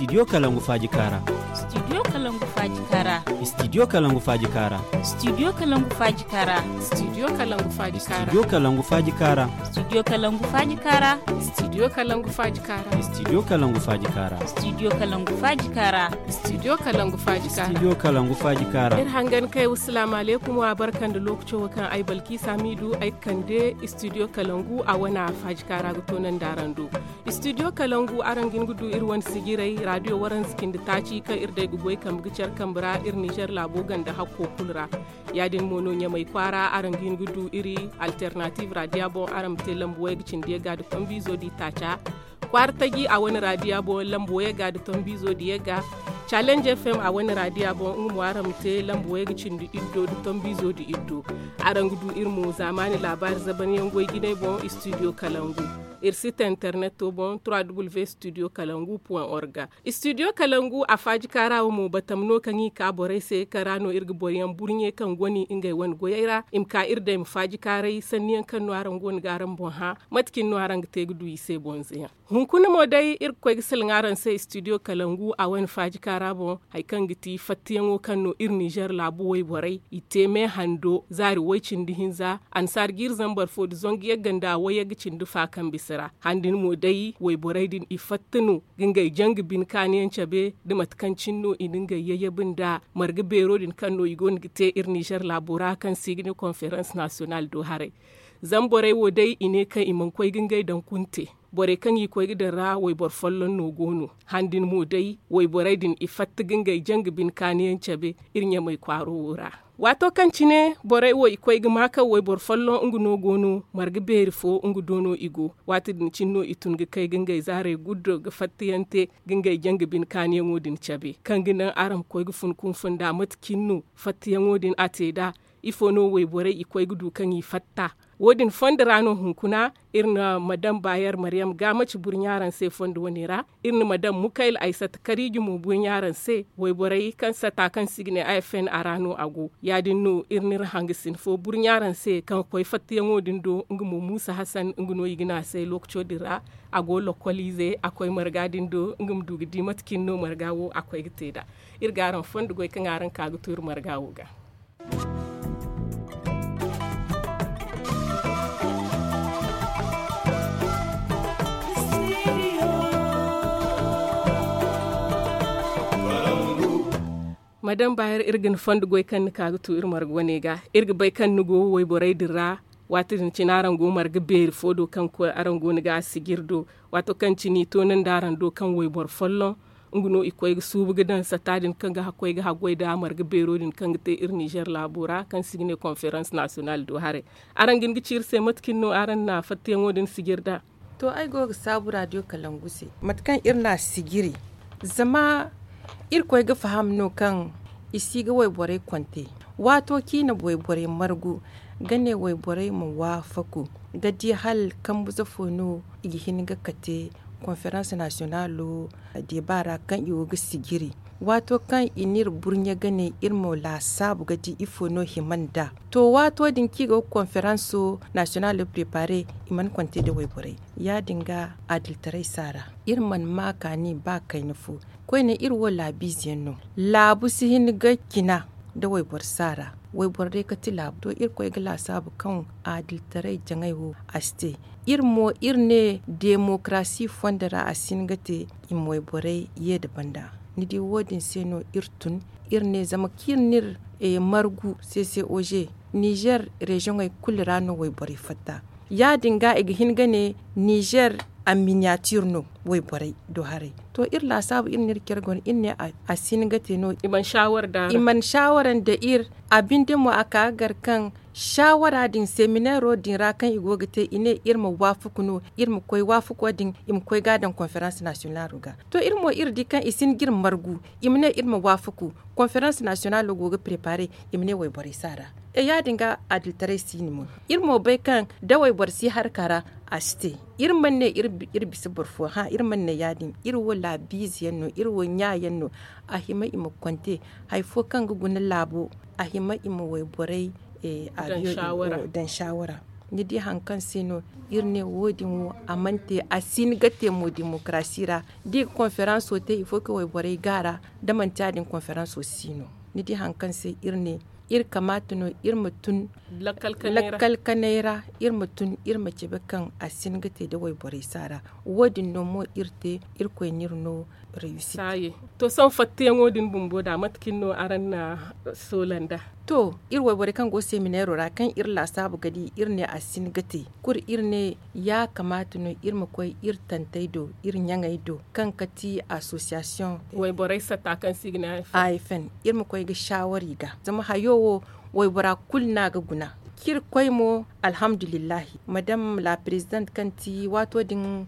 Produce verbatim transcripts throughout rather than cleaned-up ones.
Studio Kalangu Faaji Kaara. Studio Kalangu Faaji Kaara. Studio Kalangu Faaji Kaara. Studio Kalangu Faaji Kaara. Studio Kalangu Faaji Kaara. Studio Kalangu Faaji Kaara. Studio Kalangu Faaji Kaara. Studio Kalangu Faaji Kaara. Studio Kalangu Faaji Kaara. Studio Kalangu Faaji Kaara. Studio Kalangu Faaji Kaara. Studio Kalangu Faaji Kaara. Iri hangan kay, wassalaamu alaykum, wa barka nda lookaco wo kaŋ ay Balkiisa Hamiidu ay ga kande Studio Kalangu a wane faaji kaara ga toonandi araŋ do. Studio Kalangu, araŋ ga hin ga du iri wane sijirey, raadiyo waranza cindi taaci kaŋ iri day ga goy kambe ga care kambe ra iri Nizer laabo ganda hakko kulu ra. Ya-din mo no Ɲamay kwaara, araŋ ga hin ga du iri Alternatiiv raadiya boŋ, araŋ ma te lamba wayga cindi yagga nda tombiizo di taaca. Kwaara taji a wane raadiya boŋ, lamba wayga nda tombiizo di yagga. Challenge F M a wane raadiya boŋ, nga mo araŋ ma te lamba wayga cindi iddo nda tombiizo di iddo. Araŋ ga du iri mo zaamaani laabaari zabanyaŋ goy jinay boŋ, Studio Kalangu. Iri site interneto boŋ, trois w studio kalangu point org. Studio Kalangu a faaji kaara wo mo, batama no kaŋ i ka borey se, kaŋ ra no iri ga boroyaŋ burɲe kaŋ goni ngey wane goyey ra, i ma ka iri day ma faaji kaaray sanniyaŋ kaŋ no araŋ goono ga araŋ boŋ hã. Mate cine no araŋ ga te ga du i se bonzoyaŋ? Hunkuna mo day, iri ga koy ga salaŋ araŋ se Studio Kalangu a wane faaji kaara boŋ, hari kaŋ ga ti fattiyaŋo kaŋ no iri Nizer laabu wayborey i te me hando zaari way cindi hinza, annasaara jiiri zambar fo nda zangu yagga nda wayagga cindi fa kaŋ bisa ra. Han din mo day, wayborey din i fatta no ga ngey janga bine kaaniyaŋ cabe, nda mate kaŋ cine no i na ngey yayyabi nda marga beero din kaŋ no i goono ga te iri Nizer laabo ra, kaŋ se i ga ne konferans nasiyonal do haray. Zama borey wo day, i ne kaŋ i mana koy ga ngey daŋ kunte. Borey kaŋ i koy ga daŋ ra, wayboro folloŋ no go no. Han din mo day, wayborey din i fatta ga ngey janga bine kaaniyaŋ cabe iri Ɲamay kwaaro wo ra. Waato kaŋ cine borey wo i koy ga maa kaŋ wayboro folloŋ nga no go no, marga beeri fo nga do no i go. Waati din cine no i tun ga kay ga ngey zaarey guddo ga fattayaŋ te ga ngey janga bine kaaniyaŋo din cabe, kaŋ ga naŋ araŋ ma koy ga fun kunfun nd'a mate cine no fattayaŋo din a te nd'a. Ifo no wayborey i koy ga du kaŋ i fatta? Wo-din fondo ra no hunkuna iri na madam Bayer Maryam Gamaci burɲa araŋ se fondo wane ra. Iri na madam Mukayla Aysata Kariiji mo burɲa araŋ se. Wayborey kaŋ sata kaŋ se i ga ne A F N a ra no a go. Ya-din no iri n'iri hangasin fo burɲa araŋ se kaŋ ga koy fattayaŋo din do, nga mo Muusa Hasan, nga no i ga ne a se lookaco din ra. A go lokkoliize, a koy marga din do, nga ma du ga di mate cine no marga wo a koy ga te nd'a. Iri ga araŋ fondo goy kaŋ araŋ ka ga to iri marga wo ga. Madam Bayer, iri ga ni fondo goy kaŋ ni ka ga tu iri marga wane ga. Iri ga bay kaŋ ni go wayborey din ra. Waati din cine araŋ go marga beeri fo do kaŋ koy araŋ go ni ga a sijiri do. Waato kaŋ cine i toonandi araŋ do kaŋ wayboro folloŋ, nga no i koy ga suubu ga daŋ sata din kaŋ ga koy ga haggoy nda marga beero din kaŋ ga te iri Nizer laabo ra, kaŋ se i ga ne konferans nasiyonal do haray. Araŋ ga hin ga ci iri se mate cine no araŋ na fattayaŋo din sijiri nd'a? To, ay go ga saabu raadiyo Kalangu se, mate kaŋ iri na a sijiri. Zama iri koy ga faham no kaŋ i si ga wayborey konte. Waato kaŋ i na wayborey margu ga ne wayborey ma waafaku ga di hala kambuze fo no i ga hin ga kate konferans nasiyonalo deba ra kaŋ i go ga sijiri. Waato kaŋ i n'iri burɲe ga ne iri ma laasaabu ga di ifo no hima nd'a. To, waato din kaŋ i go ga konferanso nasiyonalo prepare, i mana konte nda wayborey. Ya-din ga adilitaray si a ra. Iri mana ma kaani ba kayna fo. Koyne iri wo laabiize yaŋ no. Laabu si hin ga cina nda wayboro si a ra. Wayboro day kati laabu. To, iri koy ga laasaabu kaŋ adilitaray jaŋay wo a si te. Iri mo iri ne demokarasi fondo ra a si hin ga te, i ma wayborey ye nda banda. Ni di, wo-din se no iri tun. Iri ne zama kaŋ iri n'iri margu C C O G, Nizer reziyoŋey kulu ra no wayborey fatta. Ya-din ga i ga hin ga ne Nizer a miniyatir no wayborey do haray. To, iri laasaabu iri n'iri care guna, iri ne a si hin ga te no. I mana saawara nda iri. A binde mo a ka ga gar kaŋ saawara din seminero din ra kaŋ i go ga te, i ne iri ma waafaku no, iri ma koy waafaku din, i ma koy ga a daŋ konferans nasiyonalo ga. To, iri mo iri di kaŋ i si hin ga iri margu, i ma ne iri ma waafaku. Konferans nasiyonalo go ga prepare, i ma ne wayborey si a ra. E, ya-din ga adilitaray si no mo. Iri mo bay kaŋ da wayboro si harka ra, a si te. Iri mana ne iri bisa boro fo, hã, iri mana ne ya-din. Iri wo laabiize yaŋ no, iri wo ɲa yaŋ no. A hima i ma konte hari fo kaŋ ga guna laabo, a hima i ma wayborey daŋ saawara. Ni di hari kaŋ se no iri ne wo- din wo a mana te, a si hin ga te mo demokarasi ra. Da i ga konferanso te, il faut que wayborey go a ra. Da manti ya- din konferanso si no. Ni di hari kaŋ se iri ne iri kamaata no iri ma tun lakkal kanay ra, iri ma tun iri ma cabe kaŋ a si hin ga te da wayborey si a ra. Wo- din no mo iri te, irkoy no iri no reyusit. To, sohõ fattayaŋo din bumbo da mate kaŋ no araŋ na soola nd'a? To, iri wayborey kaŋ go seminairo ra kaŋ iri laasaabu ga di, iri ne a si hin ga te. Kulu iri ne ya kamaata no iri ma koy iri tantey do, iri ɲaŋey do kaŋ ga ti asosiyasiyoŋ wayborey satta kaŋ se i ga ne a f n, iri ma koy ga saawari ga zama hayo wo waybora kulu no a ga guna. Kaŋ iri koy mo, alhamdulillahi, madame la présidente kaŋ ti waato din,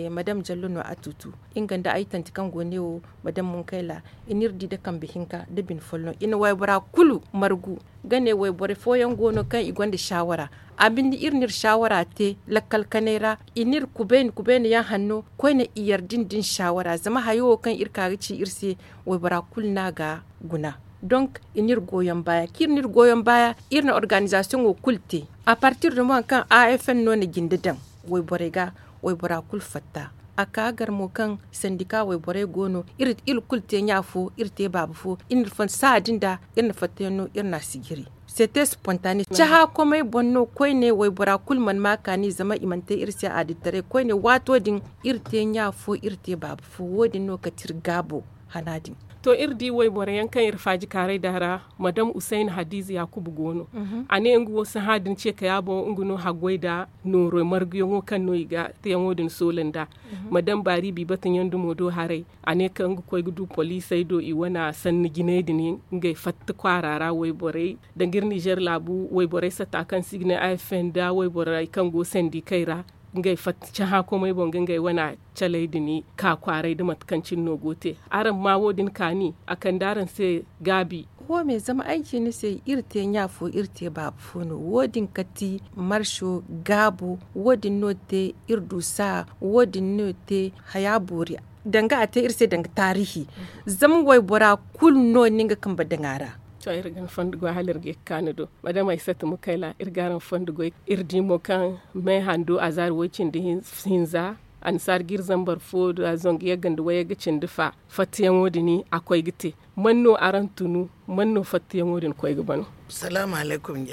madame jallo no a tuutu, nga nda ay tanti kaŋ go ne wo, madame munkayla, i n'iri di nda kambe hinka nda bine folloŋ i na waybora kulu margu. Ga ne wayboro fooyaŋ go no kaŋ i gonda saawara, a binde iri n'iri saawara te lakkal kanay ra. I n'iri kubayna kubayna yaŋ hanno koyne i yarda nda ni saawara zama hayo wo kaŋ iri ka ga ci iri se, waybora kulu no a ga guna. Donk i n'iri goyon baaya kaŋ iri n'iri goyon baaya, iri na organizasiyoŋo kulu te. A partir da mo hari kaŋ a f n no na jinde daŋ wayborey ga, waybora kulu fatta. A ka gar mo kaŋ sandika wayborey go no, iri kulu te ɲa fo, iri te baaba fo, iri n'iri fonda saha din da iri na fattayaŋ no iri n'a sijiri. Sete spontane cahã komey boŋ no koyne waybora kulu mana ma kaani zama i mana te iri se adilitaray koyne waato din, iri te ɲa fo iri te baaba fo. Wo- din no kate iri gaabo hana din. To, iri di wayboro yaŋ kaŋ iri faajikaaray da ra, madame usayna hadiza yaakuba go no. A ne nga wo sahã din ce kaya boŋ nga no haggoy nda nooro marguyaŋo kaŋ no i ga teyaŋo din soola nd'a. Madame baari biibata ɲandumo do haray, a ne kaŋ nga koy ga du poliisey do i wane sanni jinay din, ngey fatta kwaara ra wayborey, danga iri nizer laabu wayborey satta kaŋ se i ga ne a f n nda wayborey kaŋ go sandikey ra, ngey fatta cahã komey boŋ ga ngey wane caley din ka kwaaray nda mate kaŋ cine no go te. Araŋ ma wo- din kaani a kande araŋ se gaabi. Wo- me zama ay ci ni se iri te ɲa fo iri te baaba fo no wo- din kati marso gaabo. Wo- din no te iri du saha. Wo- din no te haya boori danga a te iri se danga taarihi. Zama waybora kulu no ni nga kambe daŋ a ra. To iri ga ni fondo goy hala iri ga ye ga ka ni do. Madame aysata mukayla iri ga araŋ fondo goy. Iri di mo kaŋ me hando azaari way- cindi hinza annasaara ga iri zambar fo da zangu yagga nda wayagga cindi fa. Fattayaŋo din a koy ga te. Man no araŋ tunu? Man no fattayaŋo din koy ga bano? Salaamu alaykum.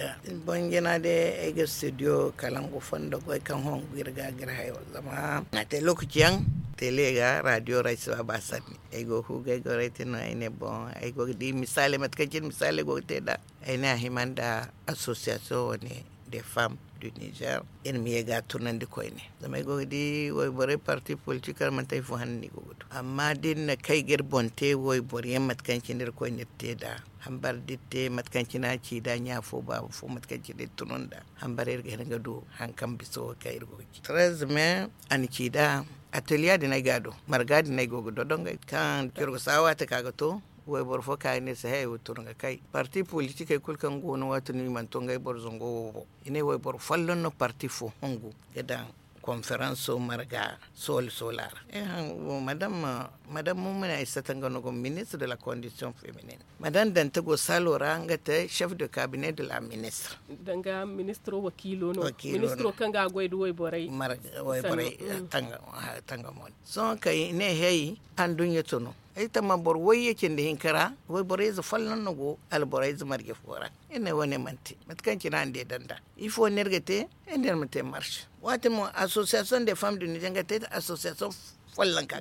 Boŋ jina day ay ga studio kalangu fondo goy kaŋ hongu iri ga ga iri hayo zama a te lookaci yaŋ tele ga radio ra ay si ba ba sanni. Ay go ga hu ga ay goray te no ay ne boŋ ay go ga di misaale mate kaŋ cine misaale go ga te nd'a. Ay ne a hima nda association wane de femme du nizer. Iri ma ye ga a tunandi koyne zama ay go ga di wayborey parti politik ra manti ay fo hanno no i go ga du amma da iri na kay ga iri boŋ te wayboro yaŋ mate kaŋ cine iri koyne iri te nd'a. Hambar da iri te mate kaŋ cine a ci nd'a ɲa fo baaba fo mate kaŋ cine iri tunu nd'a. Hambar iri ga hin ga du hari kaŋ bisa wo kaŋ iri go ga ci trez me a na ci nd'a. Ateliya din ay ga a do marga din ay go ga dodongay kaŋ coro ga saawa te ka ga to. Wayboro fo ka i ne se hay wo tun ga kay parti politikey kulu kaŋ go no waati no i mana to ngey boro zango wo boŋ. I ne wayboro folloŋ no parti fo hungu ga daŋ konferanso marga sooli soola ra. Madame mumina ay sata nga no go ministre de la condition feminine. Madame dante go saalo ra nga te chef de cabinet de la ministre. Danga ministro wakiilo no ministro kaŋ ga a goy da wayborey marga wayborey tanga mo. Sohõ kay i ne hey anduɲɲa to no. Ay tamma boro wayye cindi hinka ra wayborey ze folloŋ no go alborey ze marje fo ra. Iri ne wane manti mate kaŋ cine a na de daŋ nd'a. Ifo no iri ga te? Iri ne iri ma te marse waati mo association de femme du niger nga te association follanka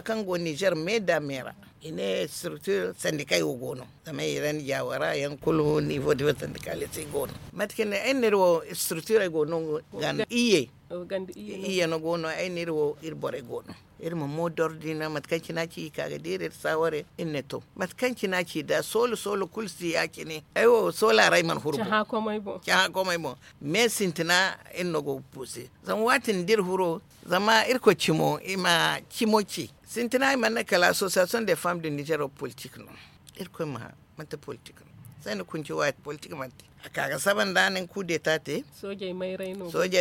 kaŋ go niger me da me ra. I ne structure sandikay wo go no zama i ra ni jawara yaŋ kulu nivo diva sandikale se go no. Mate kaŋ ne ay ne iri wo structure ay go no ganda iyye. Iyye no go no ay ne iri wo iri borey go no. Iri ma mo dordina mate kaŋ cine a ci i ka ga deera iri saaware iri ne to mate kaŋ cine a ci da soolo soolo kulu si ya- cine ay wo soola ra ay mana huru boŋ. Cahã komey boŋ. Me sintina iri no go ga puuse zama waati din da iri huro zama irkoy cimo i ma cimo ci. Sintina i mana ne kala association de femme du niger wo politik no. Irkoy ma manti politik no. Sayna kunci waati politik manti a ka ga saba nda a na ni kudeta te. Soojey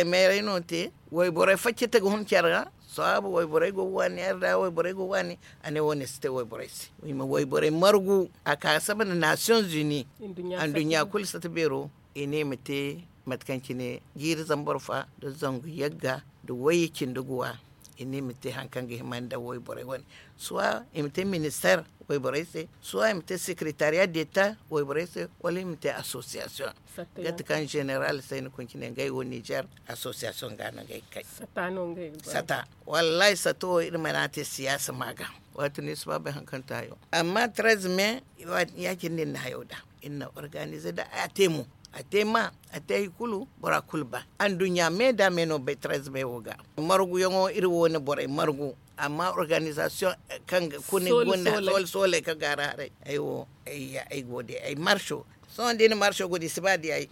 mayray no te. Wayborey faccete ga hun care ra. Saabu wayborey go ga waani yar da wayborey go ga waani. A ne wo- ne si te wayborey se i ma wayborey margu a ka ga saba nda nations unis. Anduɲɲa kulu sata beero i ne i ma te. Mate kaŋ cine jiiri zambar fa nda zangu yagga nda wayye cindi guwa. I ne i ma te hari kaŋ ga hima nda wayborey wane, suwa i ma te ministeer wayborey se, suwa i ma te sekeretariya deta wayborey se, wala i ma te asosiyasiyoŋ. Gati kaŋ zeneral se ni kuncine ngey wo nizer asosiyasiyoŋ ga no ngey kay. Sata wallahi sata wo iri mana te siyaasa ma ga. Waati no iri si ba bay hari kaŋ taayo amma trez me ya- cine no iri na hayo da. Iri na organize da a te mo, a te ma a te hari kulu bora kulu ba. Anduɲɲa me da me no bay trez me wo ga margu yaŋo iri wo na borey margu. Amma organizasiyoŋ kaŋ ga kuni gonda soole soole kaŋ ga a ra haray ay wo ay go day ay marso. Sohõ da iri na marso go day i si ba day ay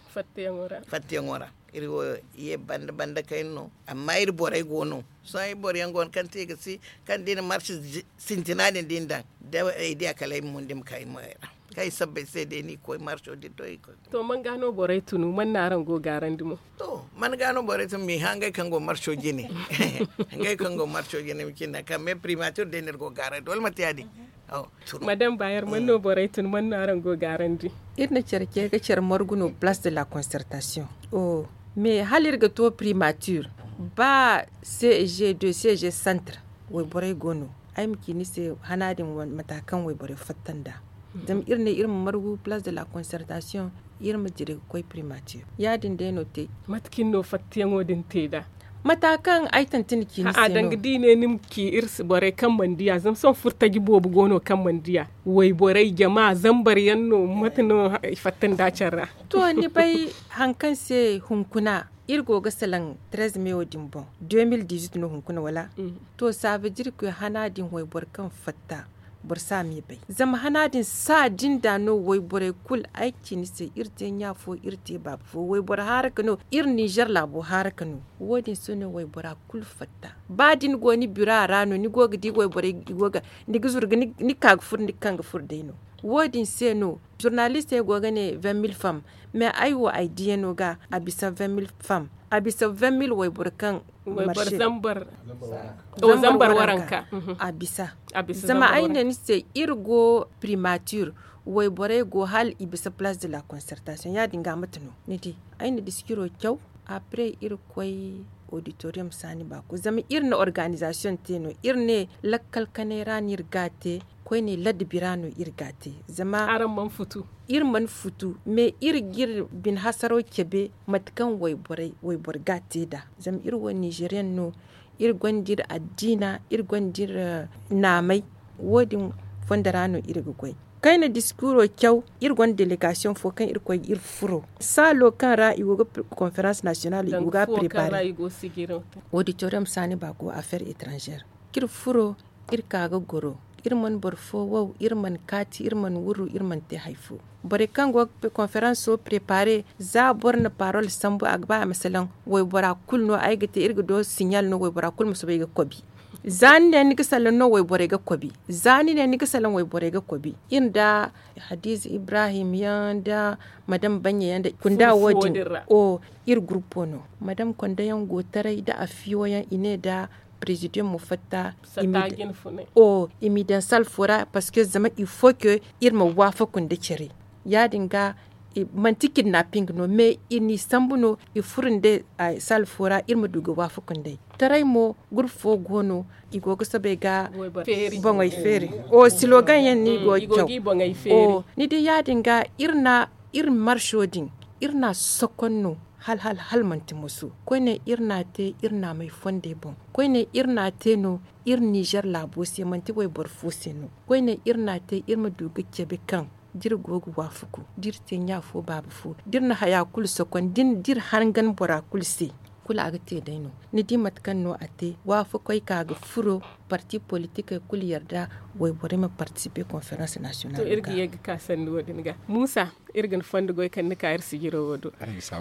fattayaŋo ra. Iri wo ye banda banda kayna no. Amma iri borey go no. Sohõ iri boro yaŋ go no kaŋ te i ga si kaŋ da iri na marso sintina din da iri daŋ da ay diya kala ay ma mun da ay ma ka ay moyey ra. Kaŋ ay sabbay se day no i koy marso din to i koy. To man ga no borey tunu man no araŋ go gaarandi mo? To man ga no borey tunu ma i hã ngey kaŋ go marso jine. Ngey kaŋ go marso jine ma cinda kaŋ me primature day no iri go gaarandi wala manti ya- din? Madam bayer man no borey tun man no araŋ go gaarandi? Iri na care ce ga care margu no place de la concertation. Mais hala iri ga to primature ba ceg deux ceg centre wayborey go no. Ay ma ci ni se hana din mata kaŋ wayborey fatta nd'a. Zama iri ne iri ma margu place de la concertation iri ma dira ga koy primature ya- din day no te. Mate kaŋ iri no fattayaŋo din te nd'a? Mata kaŋ ay tanti ni ci ni se no. Danga da i ne ni ma ci iri se borey kaŋ mana diya zama sohõ furtaji boobo go no kaŋ mana diya. Wayborey jama zambar yaŋ no mate no i fatta nda care ra? To ni bay hari kaŋ se hunkuna iri go ga salaŋ trez me wo din boŋ deux mille dix huit no hunkuna wala? To saabe da iri koy hana din wayboro kaŋ fatta boro si a me bay zama hana din sa din da no wayborey kulu ay ci ni se iri te ɲa fo iri te baaba fo wayboro haaraka no iri ninzeer laabo haaraka no. Wo- din se no waybora kulu fatta ba da ni go ni bira ra no ni go ga di wayborey i go ga ni ga zuru ga ni ka ga furo ni ga kaŋ ga furo day no. Wo- din se no zurnalistey go ga ne vingt mille fam mais ay wo ay diyano ga a bisa vingt mille fam a bisa vingt mille wayboro kaŋ marse zambar waranka. A bisa zama ay ne ni se iri go primature wayborey go hala i bisa place de la concertation ya- din ga mate no ni di? Ay na diskiro caw après iri koy auditorium saani baako zama iri na organization te no iri ne lakkal kanay ra no iri ga a te koyne ladabi ra no iri ga a te zama iri mana futu mais iri ga iri bine hasaro cabe mate kaŋ wayboro ga a te nd'a zama iri wo ninzeeriyaŋ no. Iri gonda iri addiina iri gonda iri naamay wo- din fondo ra no iri ga goy. Kayna diskuuro caw iri gonda delegasiyoŋ fo kaŋ iri koy ga iri furo saalo kaŋ ra i go ga konferans nasiyonal i go ga a preparer. Auditorium saani ba go affaire etranzere kaŋ iri furo iri ka ga goro iri mana boro fo wow iri mana kaati iri mana wurru iri mana te hari fo. Borey kaŋ go ga konferanso preparer za boro na parol sambu a ga ba a ma salaŋ waybora kulu no ay ga te iri ga do siɲal no waybora kulu ma soobay ga kobi. Za ni ne ni ga salaŋ no wayborey ga kobi za ni ne ni ga salaŋ wayborey ga kobi iri nda hadiza ibrahim yaŋ nda madam banya yaŋ nda kunda wo- din o iri gurpo no madam konda yaŋ go taray nda afiyo yaŋ i ne nda prezidium ma fatta i ma i daŋ sal fo ra parce que zama il faut que iri ma waafaku nda care ya- din ga manti kidnapping no mais i n'i sambu no i furo nda sal fo ra iri ma du ga waafaku nd'ey. Taray mo groupe fo go no i go ga soobay ga boŋey feeri o slogan yaŋ no i go ga caw. Ni di ya- din ga iri na iri marso din iri na a sokon no hala hala hala manti moso koyne iri na a te iri naamey fondey boŋ koyne iri na a te no iri nizer laabo se manti wayboro fo se no koyne iri na a te iri ma du ga cabe kaŋ da iri go ga waafaku da iri te ɲa fo baaba fo da iri na haya kulu sokon da iri hangan bora kulu se kulu a ga te day no. Ni di mate kaŋ no a te waafakoy ka ga furo parti politikey kulu yarda wayborey ma partisipe konferans nasiyonal ga. Muusa, iri ga ni fondo goy kaŋ ni ka iri sijiro wo do.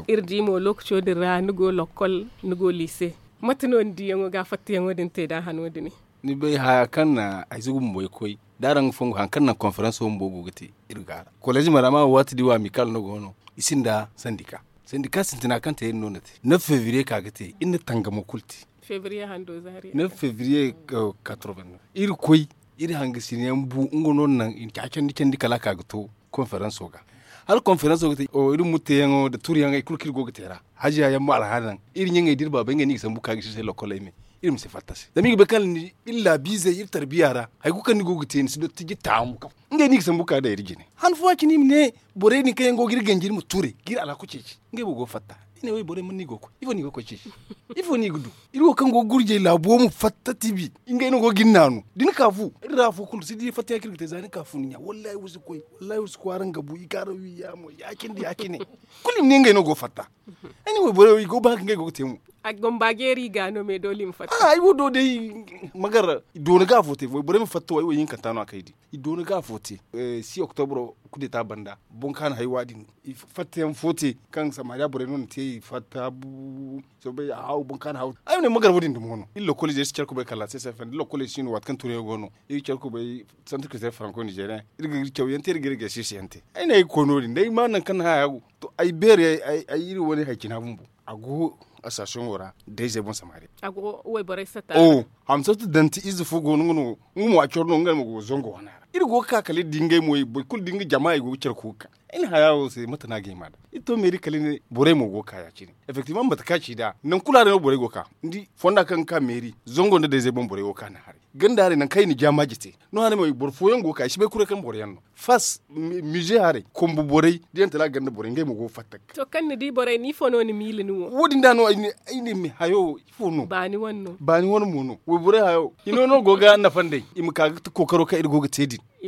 Iri di mo lookaco din ra ni go lokkol, ni go liise. Mate no ni diyaŋo ga fattayaŋo din te da hano din? Ni bay haya kaŋ na ay si ga bumbo ay koy da araŋ ga fongu hari kaŋ naŋ konferanso bumbo go ga te iri ga a ra. Kolej marama wo waati di wo amikal no go no i sinda sandika. Sandika sintina kaŋ te iri no na te neuf fevriye ka ga te iri na tangamo kulu te. Neuf fevriye. Iri koy iri hangasinayaŋ bu nga no naŋ i na ca candi candi kala a ka ga to konferanso ga. Hala konferanso ga te iri ma mutteyaŋo nda turuyaŋ hari kulu kaŋ iri go ga te ra. Hajiya yaŋ mo alhaali naŋ iri ɲaŋey da iri baabey ngey no i ga sambu ga ka ga si se lokol ay me. Iri ma si fatta se zama iri ga bay kaŋ hala ni iri laabiizey iri tarbiya ra hari kulu kaŋ ni go ga te ni si dottiji taamu kaŋ ngey no i ga sambu ga ka ga daŋ iri jine. Han fooyaŋ cine i ma ne borey din kaŋ yaŋ go ga iri ganji iri ma turay ga iri alhako ceeci. Ngey mo go ga fatta i ne way borey mana no i go ga koy ifo no i go ga koy ceeci? Ifo no i ga du? Iri wo kaŋ go ga gurjay laabo ma fatta tibi ngey no go ga iri naanu da ni ka fu iri ra afo kulu si di fatta ya kaŋ iri ga te za ni ka fu ni ɲa wallahi wa si koy. Wallahi wa si koy araŋ ga bu i ga araŋ wi yaamo ya- cine da ya- cine. Kulu i ma ne ngey no go ga fatta. Ay ne wayborey wo i go ga ba hari kaŋ ngey go ga te mo. A gomba jeeri i ga no me doole i ma fatta. Ay wo do day, magar doona ga afo te wayborey ma fatta wo ay wo ihinkanta no a kaŋ ay di. I doona ga afo te. Six oktobro kudeta banda boŋ kaŋ a na haywa din fattayaŋ fo te kaŋ samariya borey no na te i fatta. Soobay a haaw boŋ kaŋ a na haaw ay ma ne magar wo- din dumi wano iri lokol ize iri si care kubay kala se se fanda iri lokol ize si no waati kaŋ turayaŋ go no iri ga care kubay. Santir ka te faranko nizeriyaŋ iri ga iri cawyaŋ te iri ga iri ga siisiyaŋ te. Ay ne ay ga koy no- din da ay ma nangu kaŋ ni haya go to ay beeri ay iri wane hari cina bumbo. A go asasiyongo ra dayzey boŋ samariya. Hamsatu danti ize fo go no nga no nga mo a coro no nga mo go ga zango wana ra iri go ga ka kala iri di ngey mo boro kulu da nga jama i go ga care koy ga ka. Ay na haya wo se mate no a ga hima nd'a iri to meeri kala i ne borey mo go ga ka ya- cine. Effektivement mate kaŋ a ci nd'a nangu kulu haray no borey go ga ka ni di fonda kaŋ ga ka meeri zango nda dayzey boŋ borey go ga ka ni haray. Ganda haray nangu kaŋ i na jaamaaji te no haray mo boro fooyaŋ go ga ka i si bay kuray kaŋ boro yaŋ no fas mize haray kombo borey da yaŋ tala ganda borey ngey mo go ga fatta ga ka. To kaŋ ni di borey no ifo no ni miila ni wo wo- din da no ay ne ay ne hayo ifo no baani wane mo no wayborey hayo hino no go ga nafa nd'ey i ma ka ga kookaro kaŋ iri go ga te din. I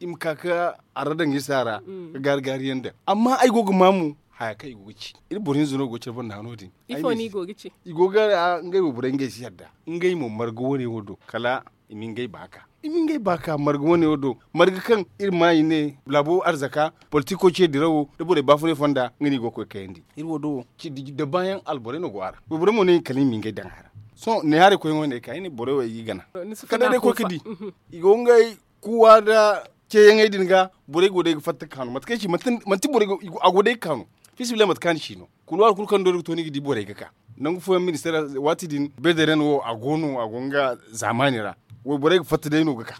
ma ka ga arra daŋ iri se a ra ga gaari gaari yaŋ daŋ amma ay go ga ma mo haya kaŋ i go ga ci iri boro hinza no go ga care banda hano din. Ifo no i go ga ci i go ga ngey wayborey ngey si yadda ngey mo marga wane wo do kala i ma ngey baaka i ma ngey baaka marga wane wo do marga kaŋ iri ma i ne laabo arzaka politiko ce dirawo da borey baafunay fonda nga no i go ga koy kayandi iri wo do wo. Dabaayaŋ alborey no go a ra wayborey mo ne i kala i ma ngey daŋ a ra. Sohõ ne haray koy wane ay ka ay ne borey wo ay ga i gana kala day koy ga di i go ngey kuwa nda ceeyaŋey din ga borey go day ga fatta ga kaanu mate kaŋ ay ci manti borey a go day ga kaanu. Fiisabilillahi mate kaŋ a na ci no kuluwaari kulu kaŋ doori ga to ni ga di borey ga ka nangu fooyaŋ ministeer waati din bederen wo a go no a go nga zaamaani ra. Wayborey ga fatta day no ga ka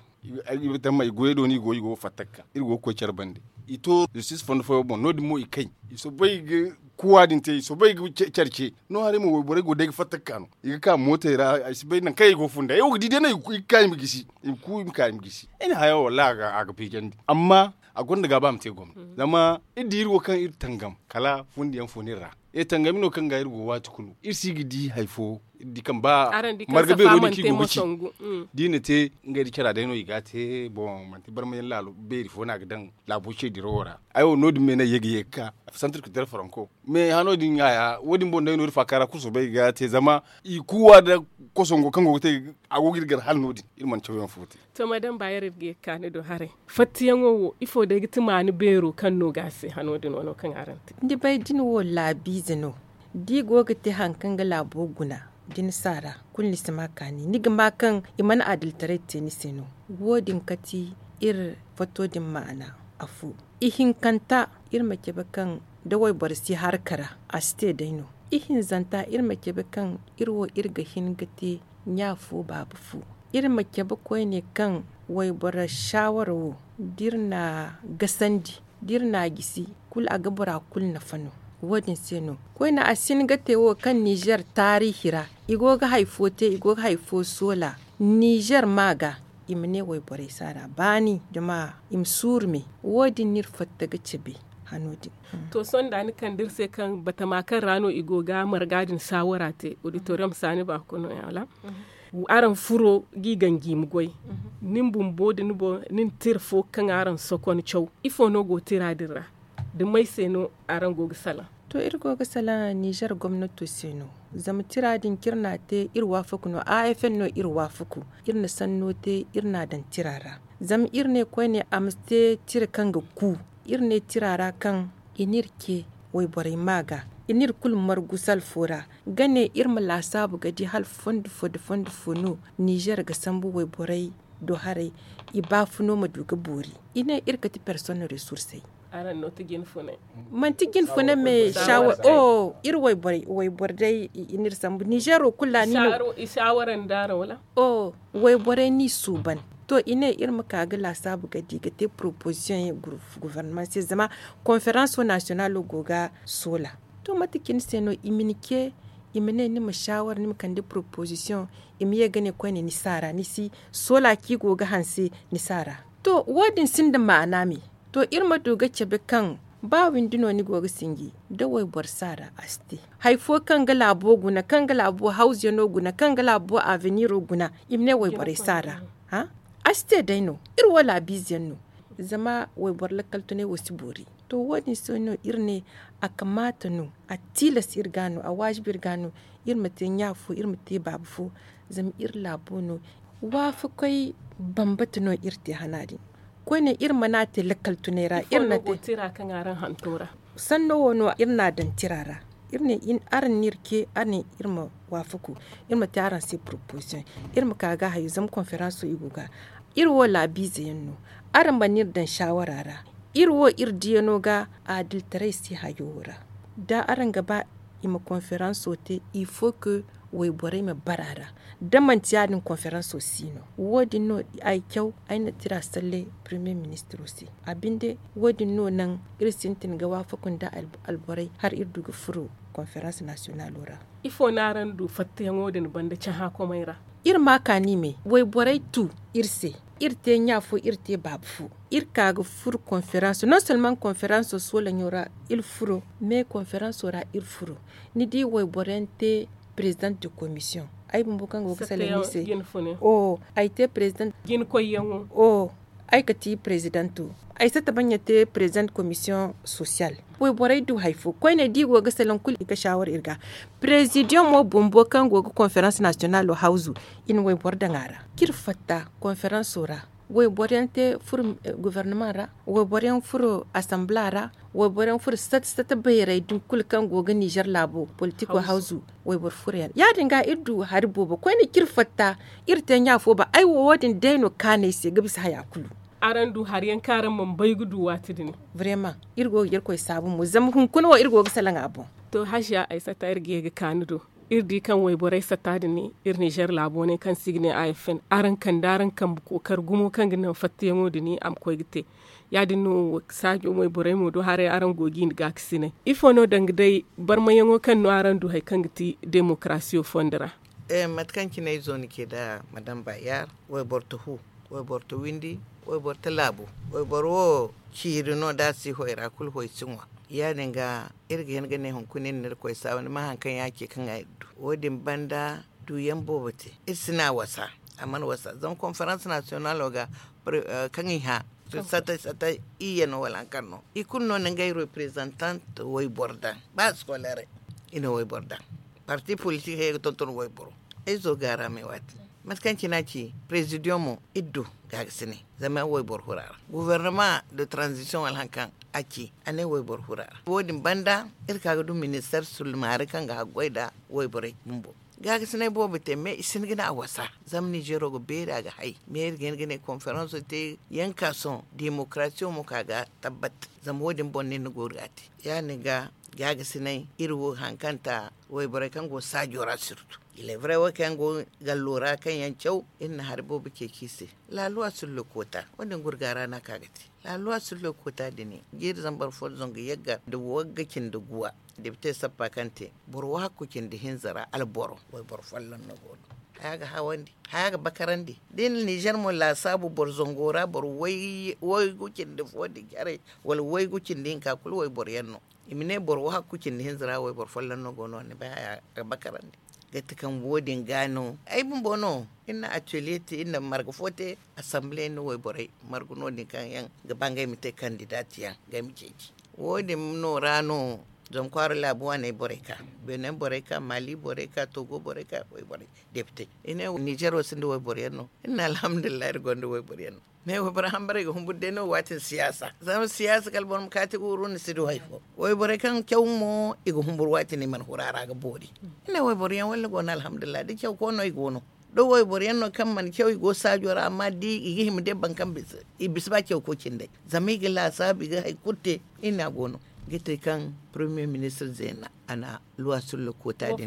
ay ga tamma i goyey do no i go i go ga fatta ga ka iri go ga koy care bande. I to zistis fondo fooyaŋ boŋ no- din mo i kay i soobay ga kuwa din te i soobay ga care ce no haray mo wayborey go day ga fatta ga ka no i ga ka mootey ra ay si bay nangu kaŋ i go ga funda ay wo ga di day no i ga ka i ma gisi i ma ku i ma ka i ma gisi. Ay na haya wo wallahi a ga fiijandi amma a gonda gaaba a ma te gomna zama iri di iri wo kaŋ iri tangam kala fundiyaŋ fo no iri ra. Iri tangami no kaŋ ga iri go waati kulu iri si ga di hari fo iri di kaŋ ba marga beero din kaŋ i go ga ci da i na te ngey da cara day no i ga a te boŋ manti barmayaŋ laalo beeri fo no a ga daŋ laabo ce dirawo ra. Ay wo no- din me no ay ye ga ye ga ka santir ka dira faranko me hano din ɲaaya wo- din boŋ day no iri faaka ra kulu soobay ga te zama i kuuwa nda kosongo kaŋ go ga te a go ga iri gar hala no- din iri mana cawyaŋ fo te. To madam baayar iri ga ye ga ka ni do haray. Fattayaŋo wo ifo day ga ti maani beero kaŋ no ga a se hano din wano kaŋ araŋ te? Ni bay da ni wo laabiize no da i go ga te hari kaŋ ga laabo guna da ni si a ra kulu ni si ma kaani ni ga ma kaŋ i mana adiltaray te ni se no. Wo- din kati iri fato din ma'ana afo ihinkanta iri ma cabe kaŋ da wayboro si harka ra a si te day no. Ihinzanta iri ma cabe kaŋ iri wo iri ga hin ga te ɲa fo baaba fo. Iri ma cabe koyne kaŋ wayboro saawara wo da iri n'a gasandi da iri n'a gisi kulu a ga bora kulu nafa no. Wo- din se no koyne a si hin ga te wo kaŋ nizer taariihi ra i go ga hari fo te i go ga hari fo soola nizer ma ga i ma ne wayborey si a ra baani zama i ma suuru me. Wo- din no iri fatta ga cabe hano din. To sohõ da ni kande iri se kaŋ batama kaŋ ra no i go ga marga din saawara te auditorium saani baako no- ya wala? Araŋ furo g'i ganji ma goy. Nin bumbo da ni boŋ nin tira fo kaŋ araŋ sokon caw ifo no go tira din ra? Da may se no araŋ go ga salaŋ? To iri go ga salaŋ nizer gomnato se no. Zama tira din kaŋ iri n'a te iri waafaku no a f n no iri waafaku. Iri na sanno te iri n'a daŋ tira ra. Zama iri ne koyne a ma si te tira kaŋ ga ku. Iri ne tira ra kaŋ i n'iri ce wayborey ma ga i n'iri kulu margu salfo ra ga ne iri ma laasaabu ga di hala fondo fo nda fondo fo no nizer ga sambu wayborey do haray. I baafuno ma du ga boori i ne iri ga ti personne resursey. Manti jinfunay me shawara o iri wayboro day i n'iri sambu nizero kulu ra ni no. Wayborey n'i suuban To i ne iri ma ka ga laasaabu ga di ga te poroposisiyoŋ yaŋ guvernamaŋ se zama konferanso nasiyonalo go ga soola. To mate cine se no i ma ni ce i ma ne ni ma saawara ni ma kande poroposisiyoŋ i ma ye ga ne koyne ni si a ra ni si soola kaŋ i go ga hanse ni si a ra. To wo- din sinda maana me. To iri ma du ga cabe kaŋ ba windi no ni go ga sinji da wayboro si a ra a si te. Hari fo kaŋ ga laabo guna kaŋ ga laabo hawziyano guna kaŋ ga laabo aveniro guna i ma ne wayborey si a ra. A si te day no. Iri wo laabiize yaŋ no. Zama wayboro lakkal tunay wo si boori. To wo- din se no iri ne a kamaata no a tilas iri ga no a waajibi iri ga no. Iri ma te ɲa fo iri ma te baaba fo. Zama iri laabo no waafakoy bambata no iri te hana din. Koyne iri mana te lakkal tunay ra iri na te. Sanno wo no iri na a daŋ tira ra. Iri ne araŋ no iri ce araŋ ne iri ma waafaku. Iri ma te araŋ se poroposisiyoŋ. Iri ma ka ga hayo zama konferanso i go ga iri wo laabiize yaŋ no. Araŋ mana iri daŋ saawara ra. Iri wo iri diyano ga adilitaray se hayo wo ra. Da araŋ ga ba i ma konferanso te il faut que wayborey ma bara ra. Da manti ya- din konferanso si no wo- din no ay caw ay na tira salle premier ministiro se. A binde wo- din no naŋ iri sintin ga waafaku nda alborey hala iri du ga furo konferans nasiyonalo ra. Ifo no araŋ du fattayaŋo din banda cahã komey ra? Iri ma a kaani me wayborey tu iri se. Iri te ɲa fo iri te baaba fo. Iri ka ga furo konferanso non solman konferanso soolaŋo ra. Iri furo me konferanso ra iri furo. Ni di wayboro yaŋ te prezident de komisiyoŋ. Ay bumbo kaŋ go ga salaŋ ni se. Ay te prezident. Ay ga ti prezidento. Ay sata baŋ ya te prezident komisiyoŋ sosiyal. Wayborey du hari fo koyne da i go ga salaŋ kulu i ga saawara iri ga. Prezidiyoŋ mo bumbo kaŋ go ga konferans nasiyonalo hawzu i na wayboro daŋ a ra kaŋ iri fatta konferanso ra. Wayboro yaŋ te furo guvernaman ra. Wayboro yaŋ furo asanbila ra. Wayboro yaŋ furo sata sata bayray din kulu kaŋ go ga nizer laabo politiko hawzu. Wayboro furo yaŋ ya- din ga iri du hari boobo koyne kaŋ iri fatta iri te ɲa fo ba ay wo wo- din day no kaanu ay se ga bisa haya kulu. Araŋ du hari yaŋ kaŋ araŋ mana bay ga du waati din? Vrema iri go ga irkoy saabu mo zama hunkuna wo iri go ga salaŋ a boŋ. To haziya ay sata iri ga ye ga kaanu do. Iri di kaŋ wayborey sata din iri nizer laabo ne kaŋ se i ga ne a f n araŋ kande araŋ kambe kookari gumo kaŋ ga naŋ fattayaŋo din a ma koy ga te. Ya- din no saajo wayborey mo do haray araŋ go ga i ni gaakasinay ifo no danga day barmayaŋo kaŋ no araŋ du hari kaŋ ga ti demokarasiyo fondo ra? Mate kaŋ cine izo ni ce nda madam bayar, wayboro ta hu, wayboro ta windi, wayboro ta laabu. Wayboro wo ciiri no da a si hoy ra kulu hoy si ŋwa. Ya- din ga iri ga hin ga ne hunkuna iri na irkoy saabu ni ma hari kaŋ ya- ce kaŋ a iri du wo- din banda duyaŋ boobo te. Iri si ne a wasa a mana wasa zama konferans nasiyonalo ga kaŋ i hã sata sata iyye no wala hari kaŋ no i kulu no na ngey reprezantant wayboro daŋ ba skolere. I na wayboro daŋ parti politik hayey ga tonton wayboro. Ay zo gaara me waati mate kaŋ cine a ci prezidiyoŋ mo iri du gaagasinay zama wayboro hura ra. Guvernama de tranzisiyoŋ wala hari kaŋ a ci a ne wayboro hura ra wo- din banda iri ka ga du minister sulmaari kaŋ ga haggoy nda wayborey bumbo. Gaagasinay boobo te me i si hin ga ne a wasa. Zama nizero ga beeri a ga hay me iri ga hin ga ne konferanso te yankason demokarasiyo mo ka ga tabbat. Zama wo- din boŋ no iri na gooru ga a te ya- din ga gaagasinay iri wo hari kaŋ ta wayborey kaŋ go saajo ra sirtu. Ilebrey wo kaŋ yaŋ go gallo ra kaŋ yaŋ caw iri na hari boobo ceeci i se. Laaluwa sullo koota wo- din gurga ra no a ka ga te. Laaluwa sullo koota din jiiri zambar fo zangu yagga nda wagga cindi guwa. Depite sappa kaŋ te boro wahakku cindi hinza ra alboro wayboro folloŋ no go no. Haya ga hawandi haya ga bakarandi da i na nizer mo laasaabu boro zango ra boro waygu cindi fo din care wala waygu cindi hinka kulu wayboro yaŋ no. I ma ne boro wahakku cindi hinza ra wayboro folloŋ no go no ni bay haya ga bakarandi. Gati kaŋ wo- din ga no ay bumbo no iri na atelier te iri na marga fo te. Asamble ni wayborey marga no- din kaŋ yaŋ ga ba ngey ma te kandidati yaŋ ngey ma ceeci. Wo- din no ra no zama kwaara laabu waaney borey ka benin borey ka mali borey ka togo borey ka wayborey depite. I ne nizero sinda wayboro yaŋ no iri ne alhamdulillahi iri gonda wayboro yaŋ no. Mais wayboro hambarey ga humburu day no waati ni siyaasa zama siyaasa kala boro ma kaati ga wuru ni si du hari fo. Wayborey kaŋ caw mo i ga humburu waati no i mana huru a ra ga boori. Iri ne wayboro yaŋ walla go no alhamdulillahi da caw ko no i go no. Da wayboro yaŋ no kaŋ mana caw i go saajo ra amma da i ga hima day boro kaŋ bisa i bisa ba caw ko cindey. Zama i ga laasaabu i ga hari kulu te. Iri ne a go no ga te kaŋ premier ministre zeena a na luwa sullo koota din.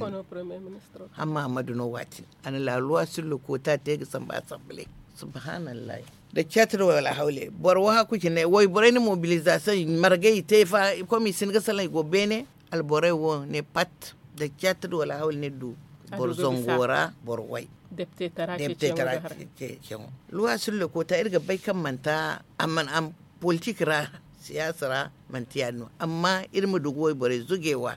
Hamma ammadu no waati a na laaluwa sullo koota te ga samba asamble. Subhanallahi. Da caati da wala hawle boro wo haku cine wayborey na mobilizasiyoŋ margay i te fa. Kom i si hin ga salaŋ i go beene. Alborey wo ne pat da caati da wala hawle ne du boro zango ra boro way. Deptetara ceeciyaŋo. Luwa sulle koota iri ga bay kaŋ manti a mana am politik ra, siyaasa ra, manti ya- din no amma iri ma du ga wayborey zuge wa.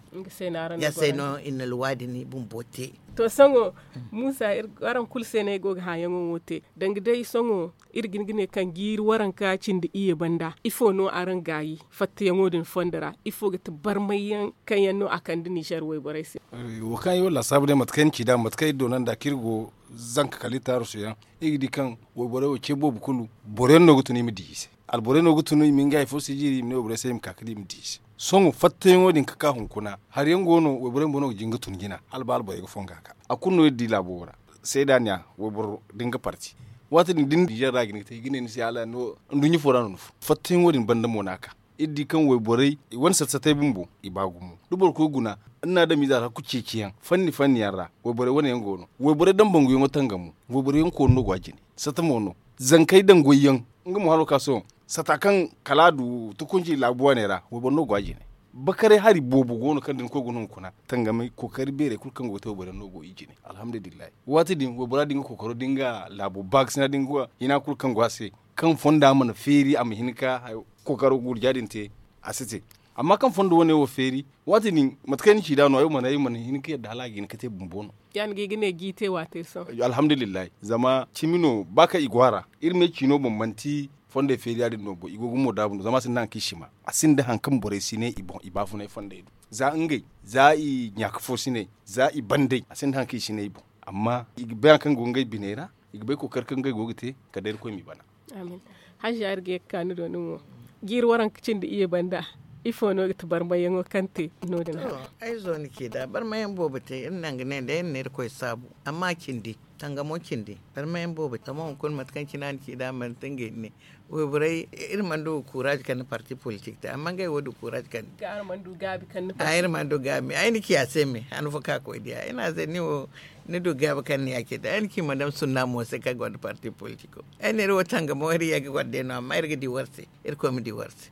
Ya se no i na luwa din bumbo te. To sohõ, muusa, araŋ kulu se no ay go ga hããyaŋo wo te. Danga day sohõ, iri ga hin ga ne kaŋ jiiri waranka cindi iyye banda ifo no araŋ gaayi fattayaŋo din fondo ra? Ifo ga ti barmayyaŋ kaŋ yaŋ no a kande nizer wayborey se? Wo kaŋ ay walla a saabu day mate kaŋ ay na ci nd'a mate kaŋ ay doona nd'a kaŋ iri go zanka kala iri taarusu yaŋ, iri ga di kaŋ wayborey wo ce boobo kulu boro yaŋ no ga tun i ma di i se. Alborey no ga tun i ma ngey hari fo sijiri i ma ne wayborey se i ma ka ga di i ma di i se. Sohõ fattayaŋo din ga ka hunkuna hari yaŋ go no wayborey bumbo no ga jin ga tun jina hala ba alborey ga fonga ga a kulu no iri di laabo wo ra. Seedaaniya wayboro da nga parti waati din da ni nizer ra ga hin ga te i ga ne ni se hala no nduɲɲa fo ra no ni fun fattayaŋo din banda mo no a ka. Iri di kaŋ wayborey i wane sata satay bumbo i ba gumo da boro koy guna. Ni na adamiize alhakku ceeciyaŋ fanni fanni yaŋ ra wayborey wane yaŋ go no. Wayborey daŋ banguyaŋo tangamo wayborey yaŋ koonu no go a jine. Sata mo no zankey daŋ goyyaŋ nga mo hano ka sohõ sata kaŋ kala a du tukunci laabu wane ra wayboro no go a jine. Bakaray hari boobo go no kaŋ da ni koy guna hunkuna tangamay kookari beerey kulu kaŋ go ga te wayboro yaŋ no go i jine. Alhamdulillahi. Waati din waybora da nga kookaro da nga laabo baakasina da nga hina kulu kaŋ go a se kaŋ fonda mana feeri a ma hin ga kookaro gurja din te. A si te. Amma kaŋ fondo wane wo feeri waati din mate kaŋ ay na ci nd'a no ay wo mana hin ga yadda hala a ga hin ga te bumbo no. Ya- din ga i ga ne jiite waate sohõ. Alhamdulillahi zama cimi no ba kaŋ i go a ra iri ma ne ciino boŋ manti fondey feeri ya- din no boŋ i go ga mo daabu no zama a sinda haŋ kaŋ i si ma a sinda haŋ kaŋ borey si ne i boŋ i baafunay fondey do. Za ngey za i ɲaaka fo si ne za i bandey a sinda haŋ kaŋ i si ne i boŋ. Amma i ga bay haŋ kaŋ go ngey biney ra i ga bay kookari kaŋ ngey go ga te kala day irkoy m'i bana. Amin. Haziya iri ga ye ga ka ni do ni mo jiiri waranka cindi iyye banda ifo no ga ti barmayyaŋo kaŋ te no- din? Ay zo ni ci nd'a barmayyaŋ boobo te iri naŋ ga ne day iri na irkoy saabu. Amma cindi tangamo cindi barmayyaŋ boobo te zama hunkuna mate kaŋ cine a na ci nd'a manti ngey ni ne. Wayborey iri mana du ga kuuraazi kaŋ ni parti politik te amma ngey wo du kuuraazi kaŋ ni a iri mana du gaabi ay na ci a se me han fo kaŋ a koy diya ay ne a se ni wo ni du gaabi kaŋ ni ya cindi ay na ci madam sunna mo se kaŋ gonda parti politiko. Ay ne iri wo tangamo iri ye ga goro day no amma iri ga di war se. Irkoy ma di war se.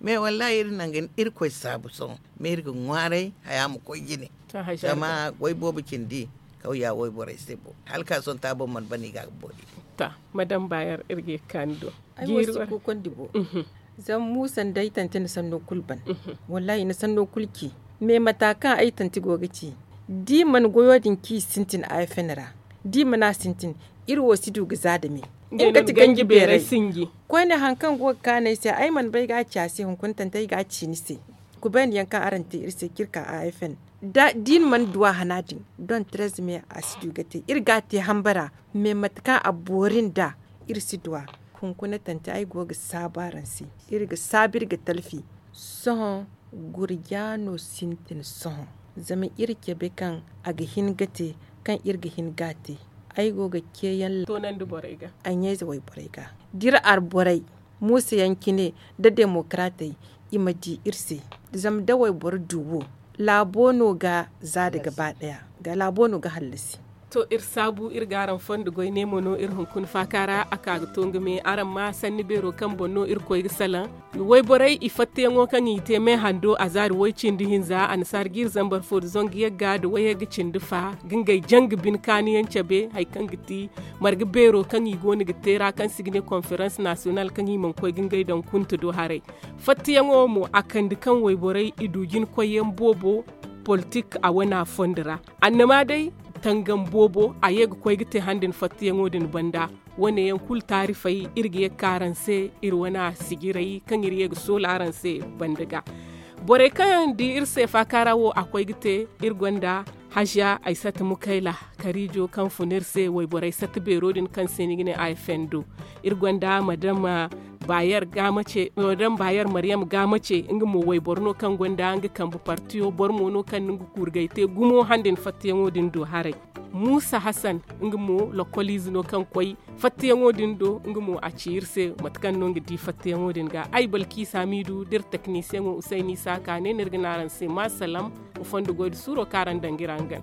Mais wallahi iri naŋ ga irkoy saabu sohõ mais iri ga ŋwaaray haya ma koy jine. Zama way boobo cindi kawya wayborey se bo hala ka sonta boŋ mana bana i ga a ga boori. Ta madam baayar iri ga ye ga ka ni do. Ay wo si kuukondi bo. Zama muusa nda ay tante na sanno kulu ban. Wallahi i na sanno kulu ci. Mais mata kaŋ ay tante go ga ci da i mana goyo din ci i sintin a fn ra da i mana sintin iri wo si du ga za dame. Nga ti ganji beeray sinji. Koyne hari kaŋ go ga kaanu ay se ay mana bay ga a ci a se hunkuna tante ay ga a ci ni se. Kubayandi yaŋ kaŋ araŋ te iri se kaŋ iri ka a fn da i na mana duwa hana din don trez me a si du ga te iri ga a te hambara. Mais mate kaŋ a boori nd'a iri si duwa. Hunkuna tante ay go ga saabu araŋ se iri ga saabu iri ga talfi. Sohõ gurja no sintin sohõ. Zama iri cabe kaŋ a ga hin ga te kaŋ iri ga hin ga a te. Ay go ga ceeyaŋ toonandi borey ga a ɲayze wayborey ga da iri arborey muusa yaŋ cine nda demokaratey i ma di iri se. Zama da wayboro du wo laabo no ga za da gaba daya ga laabo no ga hallasi. To iri saabu iri ga araŋ fondo goy ne mo no iri hunkuna faaka ra a ka ga to nga me araŋ ma sanni beero kaŋ boŋ no iri koy ga salaŋ. Wayborey i fattayaŋo kaŋ i te me hando a zaari way cindi hinza annasaara jiiri zambar fo da zangu yagga da wayagga cindi fa ga ngey janga bine kaanu yaŋ cabe hari kaŋ ga ti marga beero kaŋ i go no ga te ra kaŋ se i ga ne konferans nasiyonal kaŋ i mana koy ga ngey daŋ kunta do haray. Fattayaŋo mo a kande kaŋ wayborey i du jina koyyaŋ boobo politik a wana fondo ra. Annama day tangam boobo a ye ga koy ga te han din fattayaŋo din banda. Wane yaŋ kulu taarifey iri ga ye ga ka araŋ se iri wana sijirey kaŋ iri ye ga soola araŋ se banda ga. Borey kaŋ yaŋ di iri se faaka ra wo a koy ga te iri gonda haziya ay sata mukayla kariijo kaŋ fun iri se wayborey sata beero din kaŋ se ni ga ne a f n do. Iri gonda madam bayer gaamace madam bayer maryam gaamace nga mo wayboro no kaŋ gonda nga kambe partiyo boro mo no kaŋ no nga kuurgay te gumo han din fattayaŋo din do haray. Muusa hasan nga mo lokoliize no kaŋ koy fattayaŋo din do nga mo a ci iri se mate kaŋ no nga di fattayaŋo din ga ay balkiisa miidu da iri teknisiyaŋo usayni saaka ne no iri ga ne araŋ se ma salaŋ. Wa fondo goy da suuro kaŋ araŋ daŋ ga iri hangan.